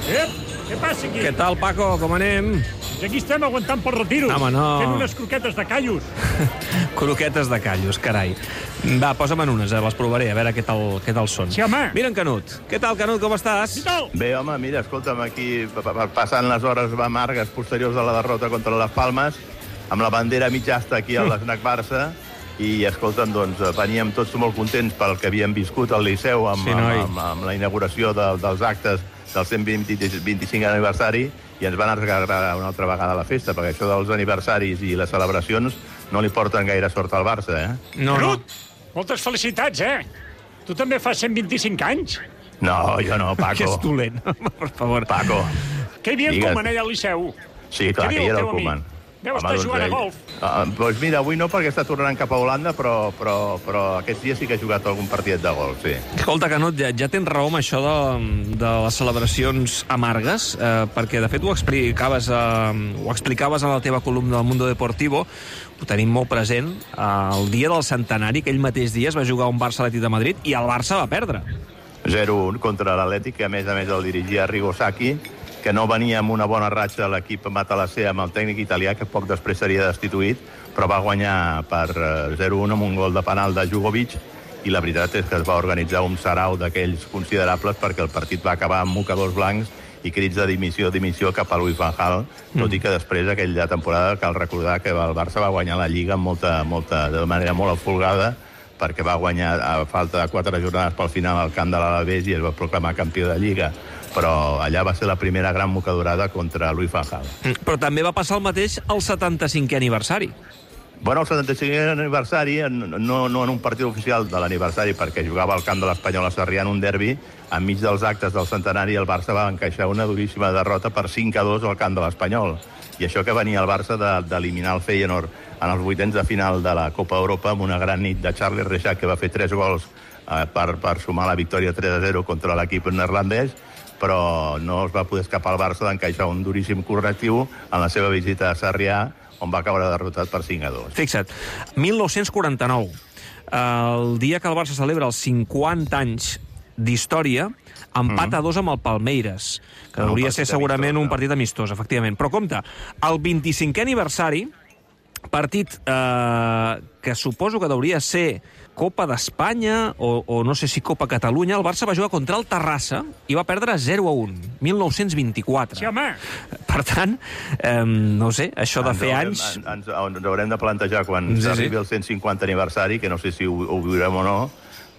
Què passa aquí? Què tal, Paco? Com anem? Aquí estem aguantant pel retiro. Home, no. Fent unes croquetes de callos. Croquetes de callos, carai. Va, posa'm en unes, les provaré, a veure què tal són. Sí, home. Mira en Canut. Què tal, Canut, com estàs? Què tal? Bé, home, mira, escolta'm, aquí passant les hores amargues posteriors a la derrota contra les Palmes, amb la bandera mitjasta aquí a l'Snac Barça, i, escolta'm, doncs, veníem tots molt contents pel que havíem viscut al Liceu amb la inauguració dels actes del 125 aniversari, i ens van arreglar una altra vegada la festa, perquè això dels aniversaris i les celebracions no li porten gaire sort al Barça, eh? No. Moltes felicitats, Tu també fas 125 anys? No, jo no, Paco. Que és dolent, per favor. Paco. Que hi havia el Koeman allà al Liceu? Sí, clar, que hi era el Koeman. Deu estar jugant a golf. Doncs mira, avui no, perquè està tornant cap a Holanda, però aquests dies sí que ha jugat algun partit de golf, sí. Escolta, Canut, ja tens raó amb això de les celebracions amargues, perquè, de fet, ho explicaves en la teva columna del Mundo Deportivo, ho tenim molt present, el dia del centenari, aquell mateix dia es va jugar un Barça-Atlètic de Madrid i el Barça va perdre. 0-1 contra l'Atlètic, que a més el dirigia Arrigo Sacchi, que no venia amb una bona ratxa l'equip matalasser amb el tècnic italià, que poc després seria destituït, però va guanyar per 0-1 amb un gol de penal de Jugovic, i la veritat és que es va organitzar un sarau d'aquells considerables perquè el partit va acabar amb mocadors blancs i crits de dimissió cap a Louis van Gaal, tot i que després aquella temporada cal recordar que el Barça va guanyar la Lliga de manera molt folgada, perquè va guanyar a falta de 4 jornades pel final al camp de l'Alavés i es va proclamar campió de Lliga. Però allà va ser la primera gran mocadorada contra Louis van Gaal. Però també va passar el mateix al 75è aniversari. Bueno, el 75è aniversari, no en un partit oficial de l'aniversari, perquè jugava al camp de l'Espanyol a Sarrià en un derbi, enmig dels actes del centenari el Barça va encaixar una duríssima derrota per 5-2 al camp de l'Espanyol. I això que venia el Barça d'eliminar el Feyenoord en els vuitens de final de la Copa Europa amb una gran nit de Charlie Reixac, que va fer 3 gols per sumar la victòria 3-0 contra l'equip neerlandès, però no es va poder escapar al Barça d'encaixar un duríssim correctiu en la seva visita a Sarrià, on va caure derrotat per 5-2. Fixa't, 1949, el dia que el Barça celebra els 50 anys d'història, empat a 2 amb el Palmeiras, que hauria de ser segurament un partit amistós, efectivament. Però compte, el 25è aniversari, partit que suposo que hauria de ser Copa d'Espanya o no sé si Copa Catalunya, el Barça va jugar contra el Terrassa i va perdre 0-1, 1924. Sí, home. Per tant, no sé, això de fer anys... Ens haurem de plantejar quan s'arribi el 150 aniversari, que no sé si ho viurem o no,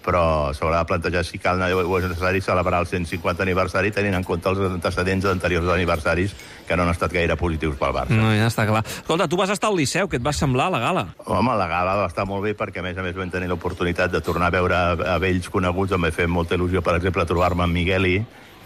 però s'haurà de plantejar si cal o és necessari celebrar el 150 aniversari tenint en compte els antecedents d'anteriors aniversaris que no han estat gaire positius pel Barça. No, ja està clar. Escolta, tu vas estar al Liceu, què et va semblar la gala? Home, la gala va estar molt bé perquè, a més vam tenir l'oportunitat de tornar a veure a vells coneguts. Em va fer molta il·lusió, per exemple, trobar-me amb Migueli,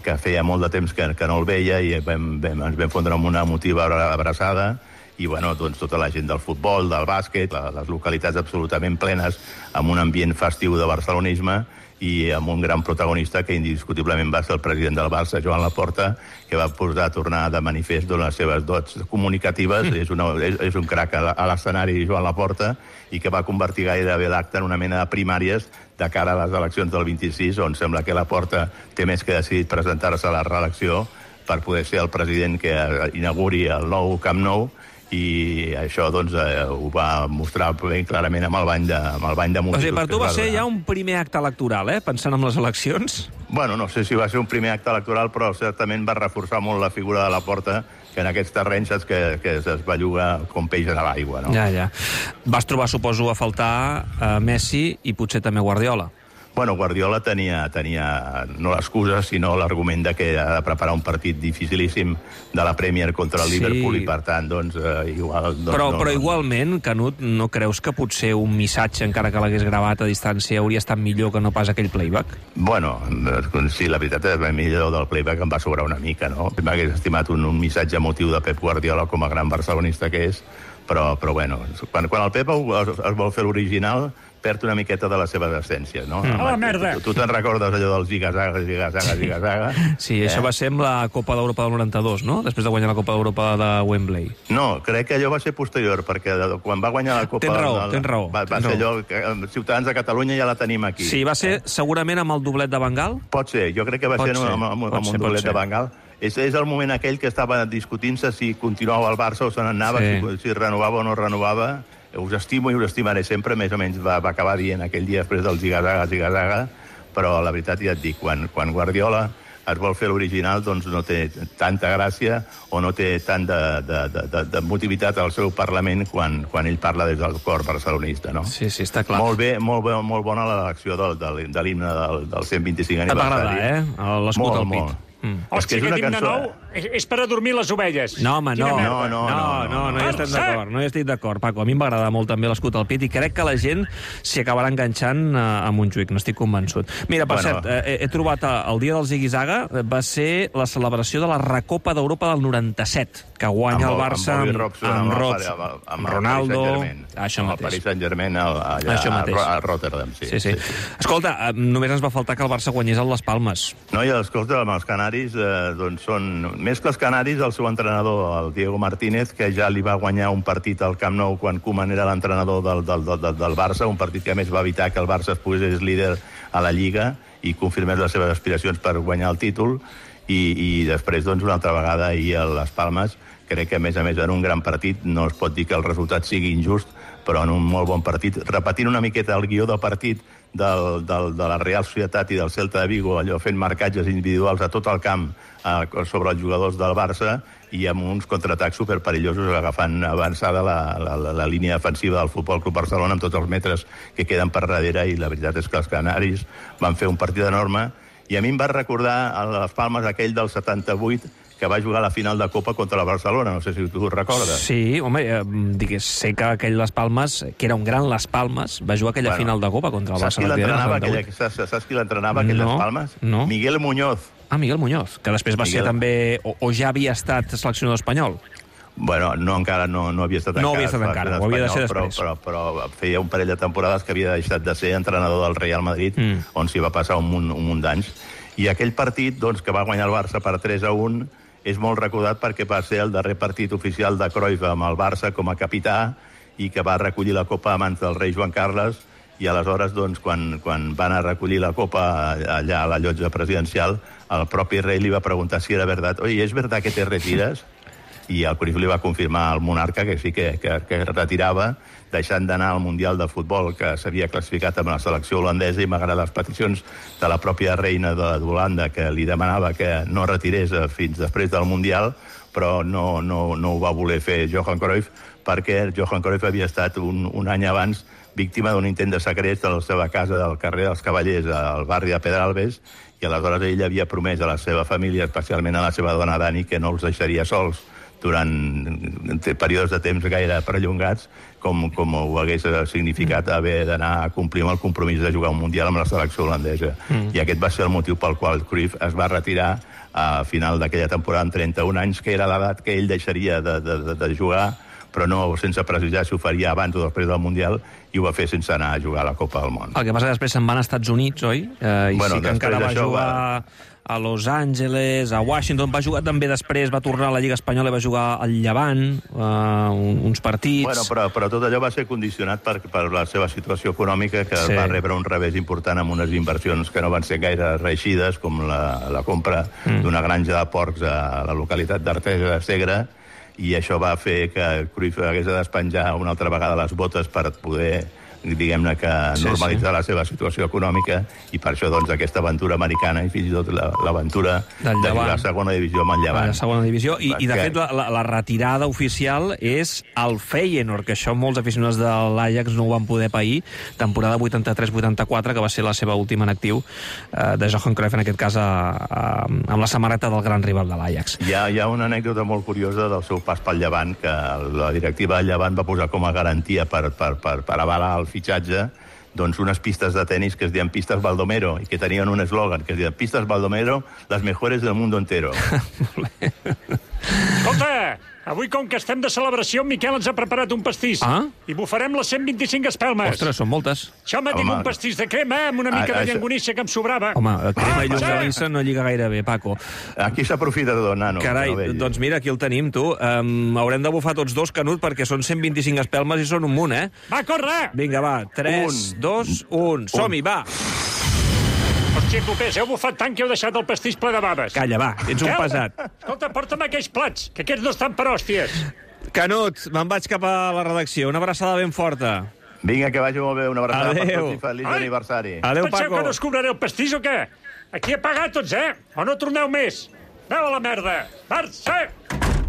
que feia molt de temps que no el veia, i ens vam fondre amb una emotiva abraçada. I, bueno, doncs tota la gent del futbol, del bàsquet, les localitats absolutament plenes, amb un ambient festiu de barcelonisme i amb un gran protagonista que indiscutiblement va ser el president del Barça, Joan Laporta, que va posar a tornar de manifest les seves dots comunicatives. És un crac a l'escenari, Joan Laporta, i que va convertir gairebé l'acte en una mena de primàries de cara a les eleccions del 26, on sembla que Laporta té més que decidit presentar-se a la reelecció per poder ser el president que inauguri el nou Camp Nou, i això doncs ho va mostrar ben clarament amb el bany de multitud. O sigui, per tu va ser ja un primer acte electoral, pensant en les eleccions? Bueno, no sé si va ser un primer acte electoral, però certament va reforçar molt la figura de Laporta, que en aquests terrenys saps que es belluga com peix a l'aigua, no? Ja. Vas trobar, suposo, a faltar Messi i potser també Guardiola. Bueno, Guardiola tenia no l'excusa, sinó l'argument de que ha de preparar un partit dificilíssim de la Premier contra el Liverpool, i per tant, doncs, igual... Però igualment, Canut, no creus que potser un missatge, encara que l'hagués gravat a distància, hauria estat millor que no pas aquell playback? Bueno, sí, la veritat és que millor del playback em va sobrar una mica, no? M'hagués estimat un missatge emotiu de Pep Guardiola com a gran barcelonista que és, però bueno, quan el Pep es vol fer l'original, perd una miqueta de la seva essència, no? A la merda! Tu te'n recordes allò del ziga-zaga? Sí, això va ser amb la Copa d'Europa del 92, no? Després de guanyar la Copa d'Europa de Wembley. No, crec que allò va ser posterior, perquè quan va guanyar la Copa... Tens raó. Va ser allò, Ciutadans de Catalunya ja la tenim aquí. Sí, va ser segurament amb el doblet de Van Gaal? Pot ser, jo crec que va ser amb un doblet de Van Gaal. és el moment aquell que estava discutint-se si continuava al Barça o se n'anava, si renovava o no renovava. Us estimo i us estimaré sempre, més o menys va acabar dient aquell dia després del zigazaga, però la veritat ja et dic, quan Guardiola es vol fer l'original, doncs no té tanta gràcia o no té tant de motivitat al seu Parlament quan ell parla des del cor barcelonista, no? Sí, està clar. Molt bé, molt bona l'elecció de l'himne del 125 aniversari. Et va agradar, l'escut al pit. Hòstia, aquest himne nou és per adormir les ovelles. No, home, no hi estic d'acord, Paco. A mi em va agradar molt també l'escut al pit i crec que la gent s'hi acabarà enganxant a Montjuïc, n'estic convençut. Mira, per cert, he trobat el dia del Zigue-Zaga, va ser la celebració de la Recopa d'Europa del 97, que guanya el Barça amb Ronaldo, això mateix. El Paris Saint-Germain a Rotterdam, sí. Escolta, només ens va faltar que el Barça guanyés a les Palmes. No, i escolta, amb els canaris, doncs són... Més que els canaris, el seu entrenador, el Diego Martínez, que ja li va guanyar un partit al Camp Nou quan Koeman era l'entrenador del Barça, un partit que a més va evitar que el Barça es posés líder a la Lliga i confirmés les seves aspiracions per guanyar el títol, i després, doncs, una altra vegada ahir a les Palmes, crec que, a més, en un gran partit, no es pot dir que el resultat sigui injust, però en un molt bon partit, repetint una miqueta el guió del partit de la Real Societat i del Celta de Vigo, allò fent marcatges individuals a tot el camp sobre els jugadors del Barça i amb uns contraatacs superperillosos agafant avançada la línia defensiva del Futbol Club Barcelona amb tots els metres que queden per darrere, i la veritat és que els canaris van fer un partit enorme, i a mi em va recordar a les Palmes aquell del 78 que va jugar a la final de Copa contra la Barcelona, no sé si tu ho recordes. Sí, home, sé que aquell Las Palmes, que era un gran Las Palmes, va jugar aquella final de Copa contra el Barcelona. Saps qui l'entrenava, aquell Las Palmes? No. Miguel Muñoz. Ah, Miguel Muñoz, que després va ser també, o ja havia estat seleccionador espanyol. Bueno, encara no havia estat encara. No havia estat encara, ho havia de ser després. Però feia un parell de temporades que havia deixat de ser entrenador del Real Madrid, on s'hi va passar un munt d'anys. I aquell partit, doncs, que va guanyar el Barça per 3-1, és molt recordat perquè va ser el darrer partit oficial de Cruyff amb el Barça com a capità i que va recollir la Copa a mans del rei Joan Carles, i aleshores, doncs, quan van a recollir la Copa allà a la llotja presidencial, el propi rei li va preguntar si era veritat. Oye, ¿es verdad que te retiras? I el Cruyff li va confirmar al monarca que sí que retirava, deixant d'anar al Mundial de Futbol, que s'havia classificat amb la selecció holandesa, i malgrat les peticions de la pròpia reina d'Holanda, que li demanava que no retirés fins després del Mundial, però no ho va voler fer Johan Cruyff, perquè Johan Cruyff havia estat un any abans víctima d'un intent de segrest a la seva casa del carrer dels Cavallers, al barri de Pedralbes, i aleshores ell havia promès a la seva família, especialment a la seva dona Dani, que no els deixaria sols durant períodes de temps gaire perllongats, com ho hagués significat haver d'anar a complir amb el compromís de jugar un Mundial amb la selecció holandesa. I aquest va ser el motiu pel qual Cruyff es va retirar a final d'aquella temporada amb 31 anys, que era l'edat que ell deixaria de jugar, però no sense precisar si ho faria abans o després del Mundial, i ho va fer sense anar a jugar a la Copa del Món. El que passa que després se'n van als Estats Units, oi? I sí que encara va jugar a Los Angeles, a Washington, va jugar també després, va tornar a la Lliga Espanyola i va jugar al Llevant, uns partits... Bueno, però tot allò va ser condicionat per la seva situació econòmica, que va rebre un revés important amb unes inversions que no van ser gaire reeixides, com la compra d'una granja de porcs a la localitat d'Artesa de Segre, i això va fer que Cruyff hagués de despenjar una altra vegada les botes per poder, diguem-ne, que normalitzar la seva situació econòmica, i per això, doncs, aquesta aventura americana i fins i tot l'aventura de jugar a segona divisió amb el Llevant. A segona divisió, i de fet la retirada oficial és el Feyenoord, que això molts aficionats de l'Ajax no ho van poder pair, temporada 83-84, que va ser la seva última en actiu, de Johan Cruyff, en aquest cas amb la samarreta del gran rival de l'Ajax. Hi ha una anècdota molt curiosa del seu pas pel Llevant, que la directiva del Llevant va posar com a garantia per avalar el fitxatge, doncs unes pistes de tenis que es deien Pistes Baldomero, i que tenien un eslògan que es deia Pistes Baldomero, las mejores del mundo entero. Escolta, avui, com que estem de celebració, Miquel ens ha preparat un pastís. I bufarem les 125 espelmes. Ostres, són moltes. Això m'ha dit un pastís de crema amb una mica de llangonissa que em sobrava. Home, crema i llonganissa no lliga gaire bé, Paco. Aquí s'aprofita tot, nano. Carai, doncs mira, aquí el tenim, tu. Haurem de bufar tots dos, Canut, perquè són 125 espelmes i són un munt, Va, corre! Vinga, va. 3, 2, 1. Som-hi, va! Xiclopés, heu bufat tant que heu deixat el pastís ple de baves. Calla, va, ets un Miquel, pesat. Escolta, porta'm aquells plats, que aquests no estan per hòsties. Canut, me'n vaig cap a la redacció. Una abraçada ben forta. Vinga, que vagi molt bé. Una abraçada per Adéu. tots i feliç Ai. aniversari. Adéu, Penseu Paco. que no us cobraré el pastís o què? Aquí he pagat tots, eh? O no torneu més? Aneu a la merda! Marxa!